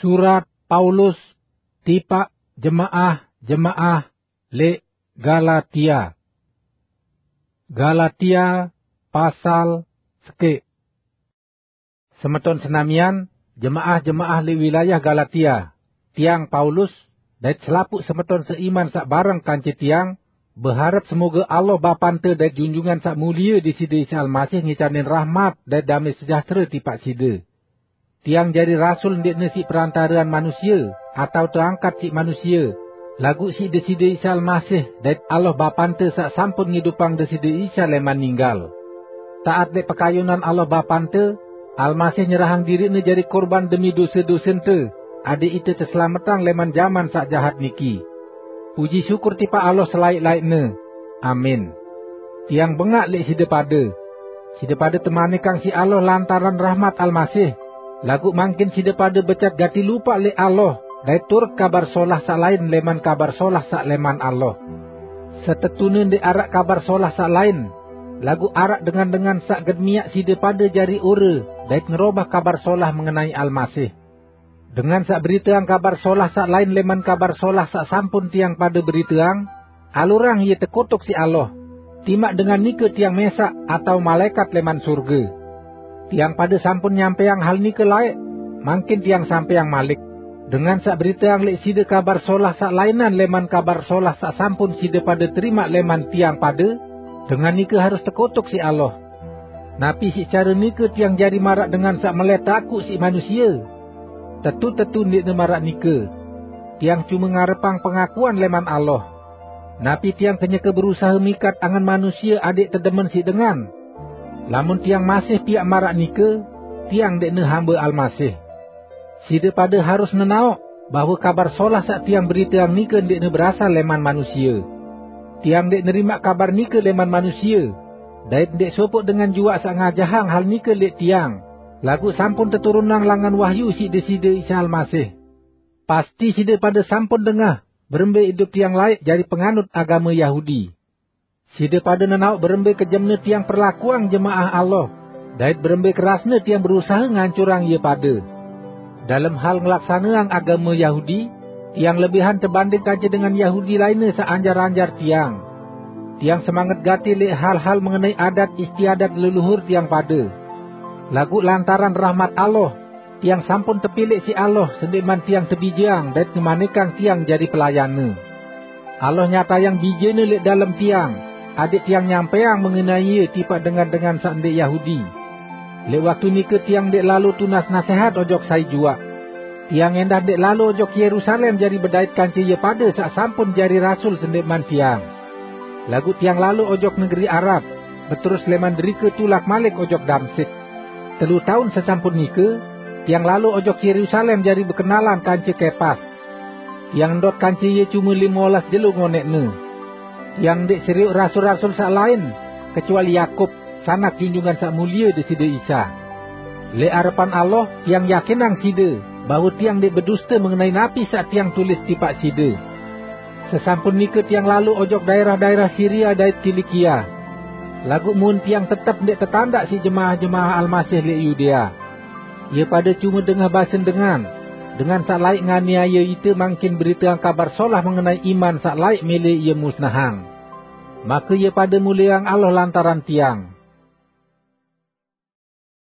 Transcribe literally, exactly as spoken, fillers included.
Surat Paulus tipaq jemaah-jemaah leq Galatia. Galatia pasal sekeq. Semeton senamian, jemaah-jemaah leq wilayah Galatia, tiang Paulus, dait selapuq semeton seiman saq bareng kance tiang, beharep semoge Allah Bapante dait Junjungan Saq Mulie Deside Isa Almasih ngicanin rahmat dait damai sejahtere tipaq side. Tiang jari rasul ndeqne siq perantarean manusie, atao teangkat siq manusie, laguq siq Deside Isa Almasih dait Allah Bapante saq sampun ngidupang Deside Isa leman ninggal. Taat leq pekayunan Allah Bapante, Almasih nyerahang diriqne jari kurban demi dose-dosente, adeq ite teselametang leman jaman saq jahat niki. Puji syukur tipaq Allah selaeq-laeqne. Amin. Tiang bengaq leq side pade. Side pade temanikang siq Allah lantaran rahmat Almasih, laguq mangkin side pade becat gati lupaq leq Allah dait turut Kabar Solah saq lain leman Kabar Solah saq leman Allah. Setetune ndeq araq Kabar Solah saq lain, laguq araq dengan-dengan saq gen miaq side pade jari ore dait ngerobah Kabar Solah mengenai Almasih. Dengan saq beriteang Kabar Solah saq lain leman Kabar Solah saq sampun tiang pade beriteang, alurang ie tekutuk siq Allah. Timaq dengan nike tiang mesaq atao malaekat leman surge. Tiang pade sampun nyampaiang hal nike laeq, mangkin tiang sampaiang malik. Dengan saq beriteang leq side Kabar Solah saq lainan leman Kabar Solah saq sampun side pade terimaq leman tiang pade, dengan nike harus tekutuk siq Allah. Napi siq care nike tiang jari maraq dengan saq melai takuq siq manusie? Tetu-tetu ndeqne maraq nike. Tiang cume ngarepang pengakuan leman Allah. Napi tiang kenyeke berusahe mikat angen manusie adeq tedemen siq dengan? Lamun tiang masih piaq maraq nike, tiang ndeqne hambe Almasih. Side pade harus nenaoq bahwe Kabar Solah saq tiang beriteang nike ndeqne berasal leman manusie. Tiang ndeq nerimaq kabar nike leman manusie, dait ndeq sopoq dengan juaq saq ngajahang hal nike leq tiang, laguq sampun teturunang langan wahyu siq Deside Isa Almasih. Pasti side pade sampun dengah berembe idup tiang laeq jari penganut agame Yahudi. Side pade nenaoq berembe kejemne tiang perlakuang jemaah Allah, dait berembe kerasne tiang berusahe ngancurang ie pade. Dalem hal ngelaksaneang agame Yahudi, tiang lebihan tebanding kance dengan Yahudi lainne saq anjar-anjar tiang. Tiang semanget gati leq hal-hal mengenai adat istiadat leluhur tiang pade. Laguq lantaran rahmat Allah, tiang sampun tepilih siq Allah sendeqman tiang tebijeang dait ngemanikang tiang jari pelayanne. Allah nyatayang Bijene leq dalem tiang, adeq tiang nyampaiang mengenai Ie tipaq dengan-dengan saq ndeq Yahudi. Leq waktu nike tiang ndeq lalo tunas nasehat ojok sai juaq. Tiang endah ndeq lalo ojok Yerusalem jari bedait kance ie pade saq sampun jari rasul sendeqman tiang. Laguq tiang lalo ojok negeri Arab, beterus leman derike tulak malik ojok Damsik. Telu taun sesampun nike, tiang lalo ojok Yerusalem jari bekenalan kance Kepas. Tiang ndot kance ie cume lime olas jelo ngoneqne. Tiang ndeq serioq rasul-rasul saq lain, kecuali Yakub, sanak Junjungan Saq Mulie Deside Isa. Leq arepan Allah, tiang yakinang side, bahwe tiang ndeq beduste mengenai napi saq tiang tulis tipaq side. Sesampun nike tiang lalo ojok daerah-daerah Siria dait Kilikia. Laguq mun tiang tetep ndeq tetandaq siq jemaah-jemaah Almasih leq Yudea. Ie pade cume dengah basen dengan, dengan saq laeq nganiaye ite mangkin beriteang Kabar Solah mengenai iman saq laeq mele ie musnahang. Make ie pade mulieang Allah lantaran tiang.